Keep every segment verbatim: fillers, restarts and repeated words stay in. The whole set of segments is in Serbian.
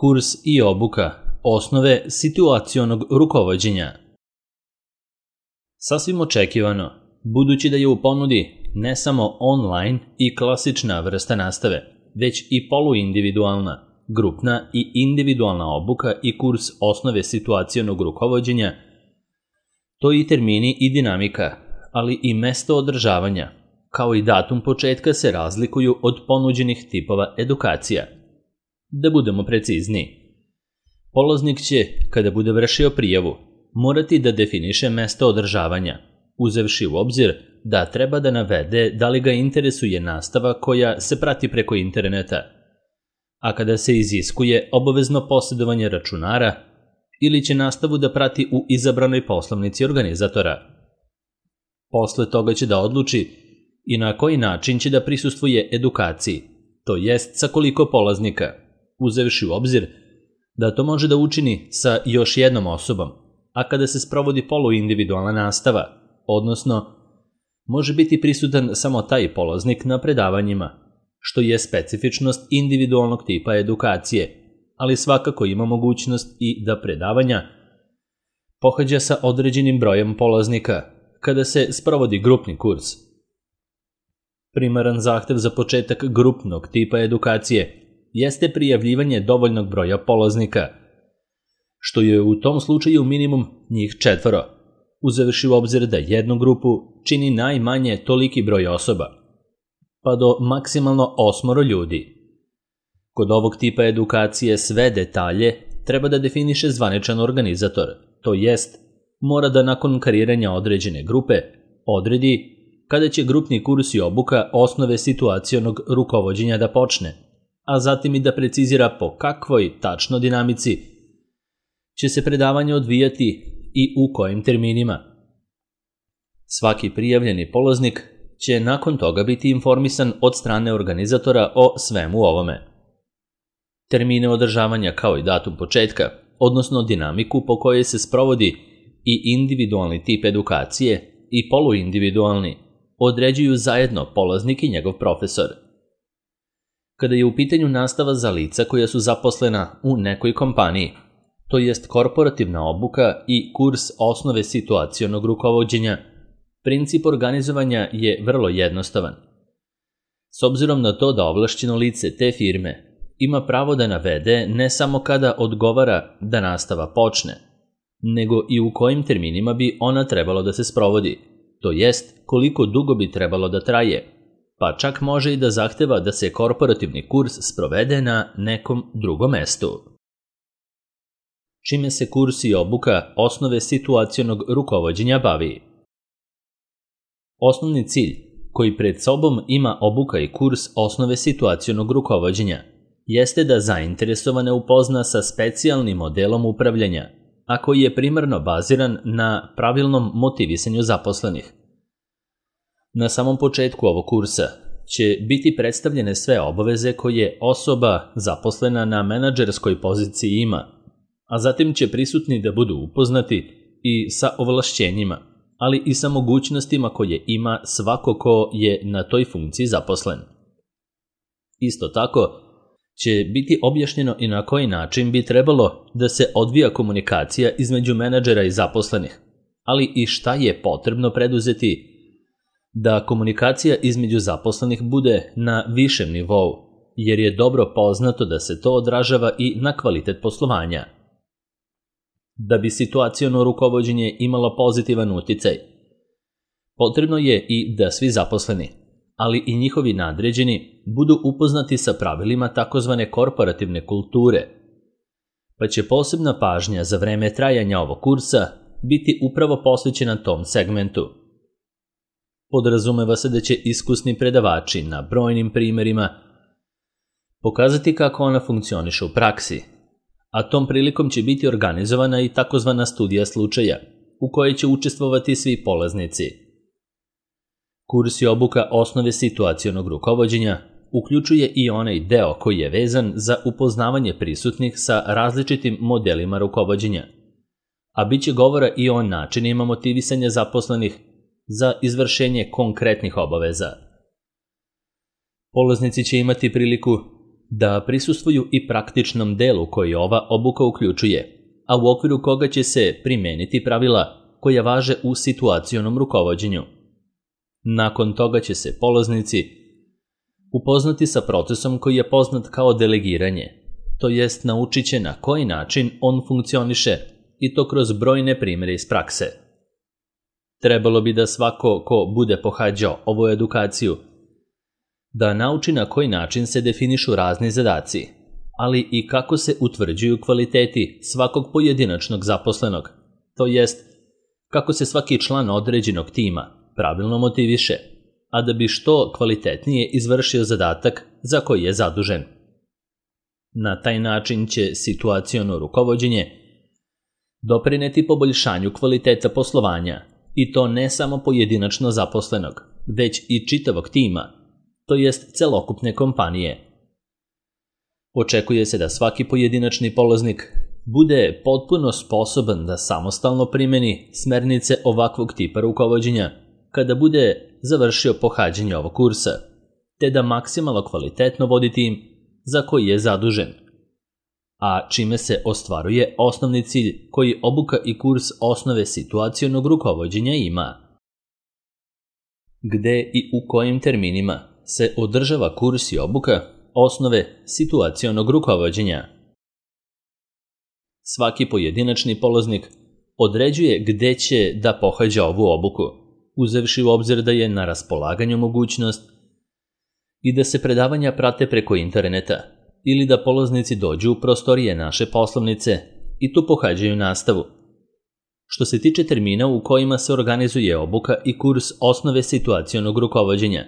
Kurs i obuka osnove situacionog rukovođenja. Sasvim očekivano, budući da je u ponudi ne samo online i klasična vrsta nastave, već i poluindividualna, grupna i individualna obuka i kurs osnove situacionog rukovođenja, to i termini i dinamika, ali i mesto održavanja, kao i datum početka se razlikuju od ponuđenih tipova edukacija. Da budemo precizniji, polaznik će, kada bude vršio prijavu, morati da definiše mesto održavanja, uzevši u obzir da treba da navede da li ga interesuje nastava koja se prati preko interneta, a kada se iziskuje obavezno posjedovanje računara ili će nastavu da prati u izabranoj poslovnici organizatora. Posle toga će da odluči i na koji način će da prisustvuje edukaciji, to jest sa koliko polaznika, uzevši u obzir da to može da učini sa još jednom osobom, a kada se sprovodi poluindividualna nastava, odnosno može biti prisutan samo taj polaznik na predavanjima, što je specifičnost individualnog tipa edukacije, ali svakako ima mogućnost i da predavanja pohađa sa određenim brojem polaznika kada se sprovodi grupni kurs. Primaran zahtev za početak grupnog tipa edukacije jeste prijavljivanje dovoljnog broja polaznika, što je u tom slučaju minimum njih četvoro, uzevši u obzir da jednu grupu čini najmanje toliki broj osoba, pa do maksimalno osmoro ljudi. Kod ovog tipa edukacije sve detalje treba da definiše zvaničan organizator, to jest mora da nakon kreiranja određene grupe odredi kada će grupni kurs i obuka osnove situacionog rukovođenja da počne, a zatim i da precizira po kakvoj tačno dinamici će se predavanje odvijati i u kojim terminima. Svaki prijavljeni polaznik će nakon toga biti informisan od strane organizatora o svemu ovome. Termine održavanja kao i datum početka, odnosno dinamiku po kojoj se sprovodi i individualni tip edukacije i poluindividualni, određuju zajedno polaznik i njegov profesor. Kada je u pitanju nastava za lica koja su zaposlena u nekoj kompaniji, to jest korporativna obuka i kurs osnove situacionog rukovođenja, princip organizovanja je vrlo jednostavan. S obzirom na to da ovlašćeno lice te firme ima pravo da navede ne samo kada odgovara da nastava počne, nego i u kojim terminima bi ona trebalo da se sprovodi, to jest koliko dugo bi trebalo da traje, pa čak može i da zahteva da se korporativni kurs sprovede na nekom drugom mestu. Čime se kurs i obuka osnove situacionog rukovođenja bavi? Osnovni cilj koji pred sobom ima obuka i kurs osnove situacionog rukovođenja jeste da zainteresovane upozna sa specijalnim modelom upravljanja, a koji je primarno baziran na pravilnom motivisanju zaposlenih. Na samom početku ovog kursa će biti predstavljene sve obaveze koje osoba zaposlena na menadžerskoj poziciji ima, a zatim će prisutni da budu upoznati i sa ovlašćenjima, ali i sa mogućnostima koje ima svako ko je na toj funkciji zaposlen. Isto tako će biti objašnjeno i na koji način bi trebalo da se odvija komunikacija između menadžera i zaposlenih, ali i šta je potrebno preduzeti da komunikacija između zaposlenih bude na višem nivou, jer je dobro poznato da se to odražava i na kvalitet poslovanja. Da bi situaciono rukovođenje imalo pozitivan uticaj, potrebno je i da svi zaposleni, ali i njihovi nadređeni, budu upoznati sa pravilima takozvane korporativne kulture, pa će posebna pažnja za vreme trajanja ovog kursa biti upravo posvećena tom segmentu. Podrazumeva se da će iskusni predavači na brojnim primerima pokazati kako ona funkcioniše u praksi, a tom prilikom će biti organizovana i takozvana studija slučaja, u kojoj će učestvovati svi polaznici. Kurs i obuka osnove situacionog rukovođenja uključuje i onaj deo koji je vezan za upoznavanje prisutnih sa različitim modelima rukovođenja, a bit će govora i o načinima motivisanja zaposlenih za izvršenje konkretnih obaveza. Polaznici će imati priliku da prisustvuju i praktičnom delu koji ova obuka uključuje, a u okviru koga će se primeniti pravila koja važe u situacionom rukovođenju. Nakon toga će se polaznici upoznati sa procesom koji je poznat kao delegiranje, to jest naučit će na koji način on funkcioniše i to kroz brojne primjere iz prakse. Trebalo bi da svako ko bude pohađao ovu edukaciju da nauči na koji način se definišu razni zadaci, ali i kako se utvrđuju kvaliteti svakog pojedinačnog zaposlenog, to jest kako se svaki član određenog tima pravilno motiviše, a da bi što kvalitetnije izvršio zadatak za koji je zadužen. Na taj način će situaciono rukovođenje doprineti poboljšanju kvaliteta poslovanja, i to ne samo pojedinačno zaposlenog, već i čitavog tima, to jest celokupne kompanije. Očekuje se da svaki pojedinačni polaznik bude potpuno sposoban da samostalno primeni smernice ovakvog tipa rukovođenja kada bude završio pohađanje ovog kursa, te da maksimalno kvalitetno vodi tim za koji je zadužen, a čime se ostvaruje osnovni cilj koji obuka i kurs osnove situacionog rukovođenja ima. Gde i u kojim terminima se održava kurs i obuka osnove situacionog rukovođenja? Svaki pojedinačni polaznik određuje gde će da pohađa ovu obuku, uzevši u obzir da je na raspolaganju mogućnost i da se predavanja prate preko interneta ili da polaznici dođu u prostorije naše poslovnice i tu pohađaju nastavu. Što se tiče termina u kojima se organizuje obuka i kurs osnove situacionog rukovođenja,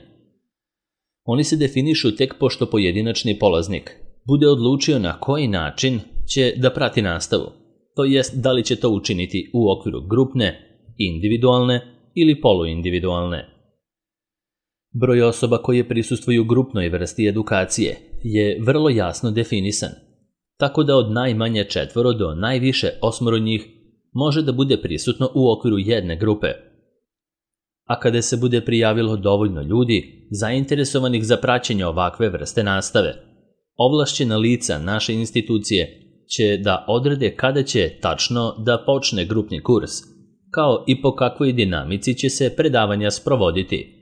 oni se definišu tek pošto pojedinačni polaznik bude odlučio na koji način će da prati nastavu, to jest da li će to učiniti u okviru grupne, individualne ili poluindividualne. Broj osoba koje prisustvuju grupnoj vrsti edukacije je vrlo jasno definisan, tako da od najmanje četvoro do najviše osmoro njih može da bude prisutno u okviru jedne grupe. A kada se bude prijavilo dovoljno ljudi zainteresovanih za praćenje ovakve vrste nastave, ovlašćena lica naše institucije će da odrede kada će tačno da počne grupni kurs, kao i po kakvoj dinamici će se predavanja sprovoditi,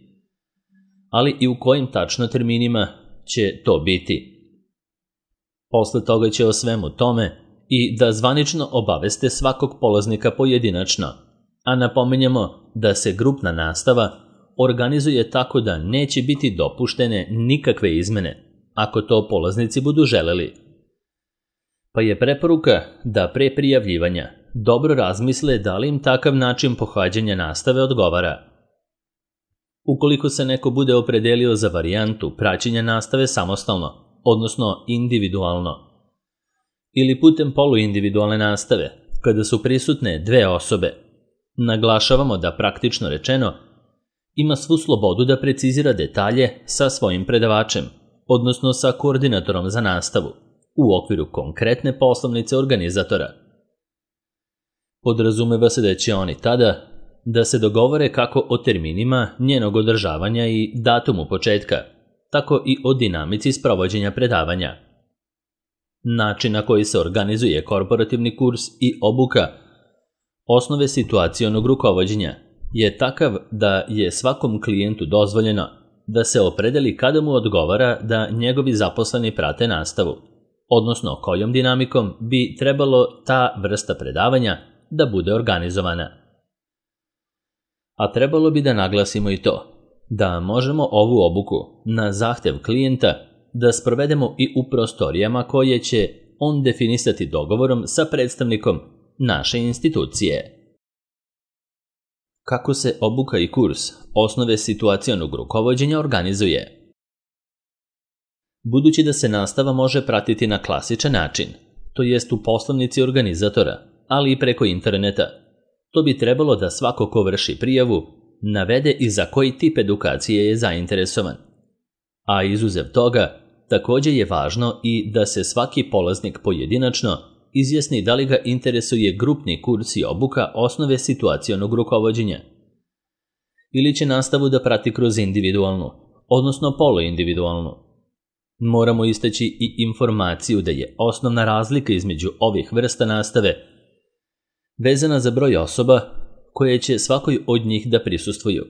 ali i u kojim tačno terminima će to biti. Posle toga će o svemu tome i da zvanično obaveste svakog polaznika pojedinačno, a napominjemo da se grupna nastava organizuje tako da neće biti dopuštene nikakve izmene, ako to polaznici budu želeli. Pa je preporuka da pre prijavljivanja dobro razmisle da li im takav način pohađanja nastave odgovara. Ukoliko se neko bude opredelio za varijantu praćenja nastave samostalno, odnosno individualno, ili putem poluindividualne nastave, kada su prisutne dve osobe, naglašavamo da praktično rečeno ima svu slobodu da precizira detalje sa svojim predavačem, odnosno sa koordinatorom za nastavu, u okviru konkretne poslovnice organizatora. Podrazumeva se da će oni tada da se dogovore kako o terminima njenog održavanja i datumu početka, tako i o dinamici sprovođenja predavanja. Način na koji se organizuje korporativni kurs i obuka osnove situacionog rukovođenja je takav da je svakom klijentu dozvoljeno da se opredeli kada mu odgovara da njegovi zaposleni prate nastavu, odnosno kojom dinamikom bi trebalo ta vrsta predavanja da bude organizovana. A trebalo bi da naglasimo i to, da možemo ovu obuku na zahtev klijenta da sprovedemo i u prostorijama koje će on definisati dogovorom sa predstavnikom naše institucije. Kako se obuka i kurs osnove situacionog rukovođenja organizuje? Budući da se nastava može pratiti na klasičan način, to jest u poslovnici organizatora, ali i preko interneta, to bi trebalo da svako ko vrši prijavu navede i za koji tip edukacije je zainteresovan. A izuzev toga, također je važno i da se svaki polaznik pojedinačno izjasni da li ga interesuje grupni kurs i obuka osnove situacionog rukovođenja, ili će nastavu da prati kroz individualnu, odnosno poluindividualnu. Moramo istaći i informaciju da je osnovna razlika između ovih vrsta nastave vezana za broj osoba koje će svakoj od njih da prisustvuju,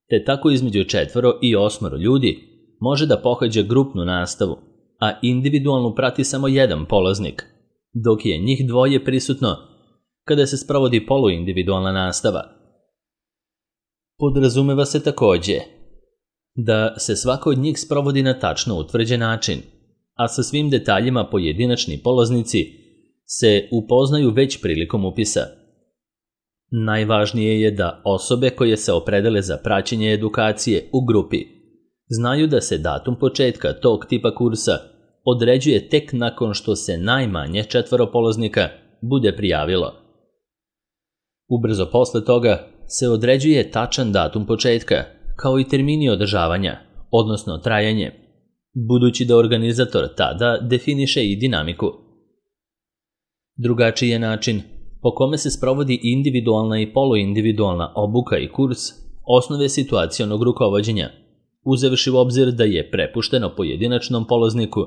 te tako između četvoro i osmoro ljudi može da pohađa grupnu nastavu, a individualnu prati samo jedan polaznik, dok je njih dvoje prisutno kada se sprovodi poluindividualna nastava. Podrazumeva se takođe da se svaka od njih sprovodi na tačno utvrđen način, a sa svim detaljima pojedinačni polaznici se upoznaju već prilikom upisa. Najvažnije je da osobe koje se opredele za praćenje edukacije u grupi znaju da se datum početka tog tipa kursa određuje tek nakon što se najmanje četvoro polaznika bude prijavilo. Ubrzo posle toga se određuje tačan datum početka, kao i termini održavanja, odnosno trajanje, budući da organizator tada definiše i dinamiku. Drugačiji je način po kome se sprovodi individualna i poluindividualna obuka i kurs osnove situacionog rukovođenja, uzevši u obzir da je prepušteno pojedinačnom polazniku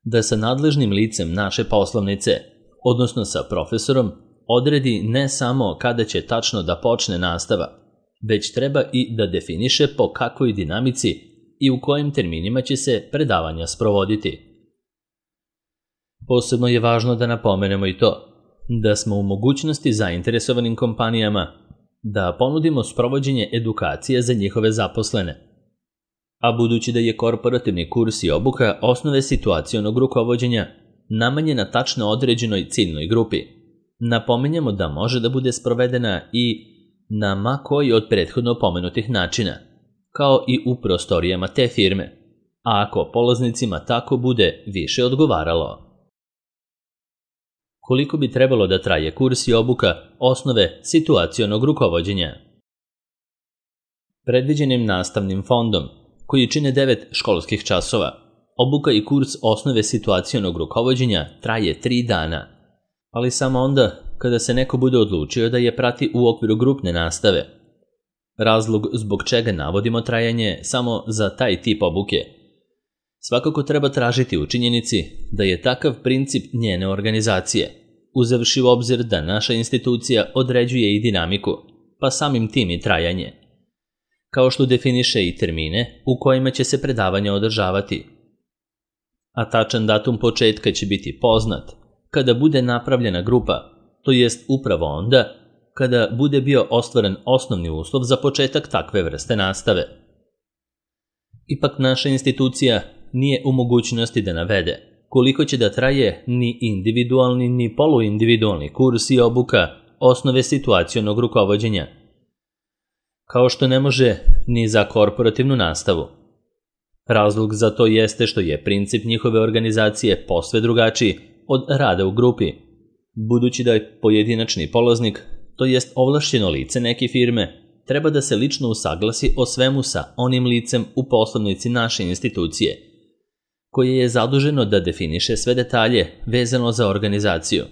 da sa nadležnim licem naše poslovnice, odnosno sa profesorom, odredi ne samo kada će tačno da počne nastava, već treba i da definiše po kakvoj dinamici i u kojim terminima će se predavanja sprovoditi. Posebno je važno da napomenemo i to da smo u mogućnosti zainteresovanim kompanijama da ponudimo sprovođenje edukacije za njihove zaposlene. A budući da je korporativni kurs i obuka osnove situacionog rukovođenja namenjena tačno određenoj ciljnoj grupi, napominjemo da može da bude sprovedena i na ma koji od prethodno pomenutih načina, kao i u prostorijama te firme, a ako polaznicima tako bude više odgovaralo. Koliko bi trebalo da traje kurs i obuka osnove situacionog rukovođenja? Predviđenim nastavnim fondom, koji čine devet školskih časova, obuka i kurs osnove situacionog rukovođenja traje tri dana, ali samo onda kada se neko bude odlučio da je prati u okviru grupne nastave. Razlog zbog čega navodimo trajanje samo za taj tip obuke svakako treba tražiti u činjenici da je takav princip njene organizacije, uzevši u obzir da naša institucija određuje i dinamiku, pa samim tim i trajanje, kao što definiše i termine u kojima će se predavanja održavati. A tačan datum početka će biti poznat kada bude napravljena grupa, to jest upravo onda kada bude bio ostvaren osnovni uslov za početak takve vrste nastave. Ipak naša institucija nije u mogućnosti da navede koliko će da traje ni individualni ni poluindividualni kurs i obuka osnove situacionog rukovođenja, kao što ne može ni za korporativnu nastavu. Razlog za to jeste što je princip njihove organizacije posve drugačiji od rada u grupi, budući da je pojedinačni polaznik, to jest ovlašćeno lice neke firme, treba da se lično usaglasi o svemu sa onim licem u poslovnici naše institucije, koje je zaduženo da definiše sve detalje vezano za organizaciju.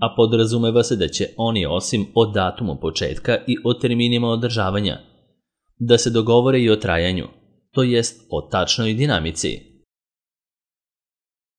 A podrazumeva se da će oni osim o datumu početka i o terminima održavanja, da se dogovore i o trajanju, to jest o tačnoj dinamici.